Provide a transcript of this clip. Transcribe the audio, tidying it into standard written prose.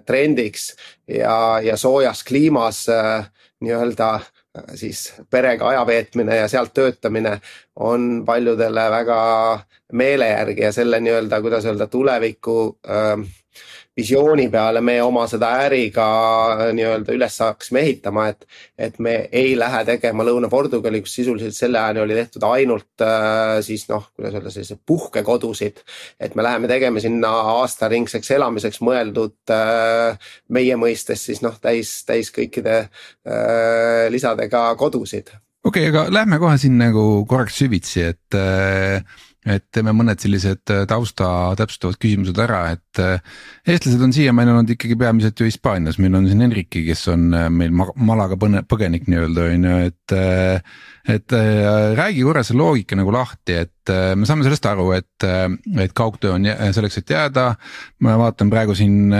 trendiks ja soojas kliimas nii-öelda siis perega aja veetmine ja sealt töötamine on paljudele väga meele järgi ja selle nii-öelda, kuidas öelda, tuleviku visiooni peale me oma seda äriga nii-öelda üles saaksime ehitama, et me ei lähe tegema Lõuna-Portugali, kus sisuliselt selle ajani oli tehtud ainult siis kuidas öelda, sellised puhkekodusid, et me läheme tegema sinna aastaringseks elamiseks mõeldud meie mõistes siis täis kõikide lisadega kodusid. Okei, aga lähme kohe siin nagu korraks süvitsi, et teeme mõned sellised tausta täpsustavad küsimused ära, et eestlased on siiamaani olnud ikkagi peamiselt ju Hispaanias, meil on siin Enrique, kes on meil Malaga põgenik nii-öelda, et räägi korra see loogika nagu lahti, et me saame sellest aru, et kaugtöö on selleks, et jääda, ma vaatan praegu siin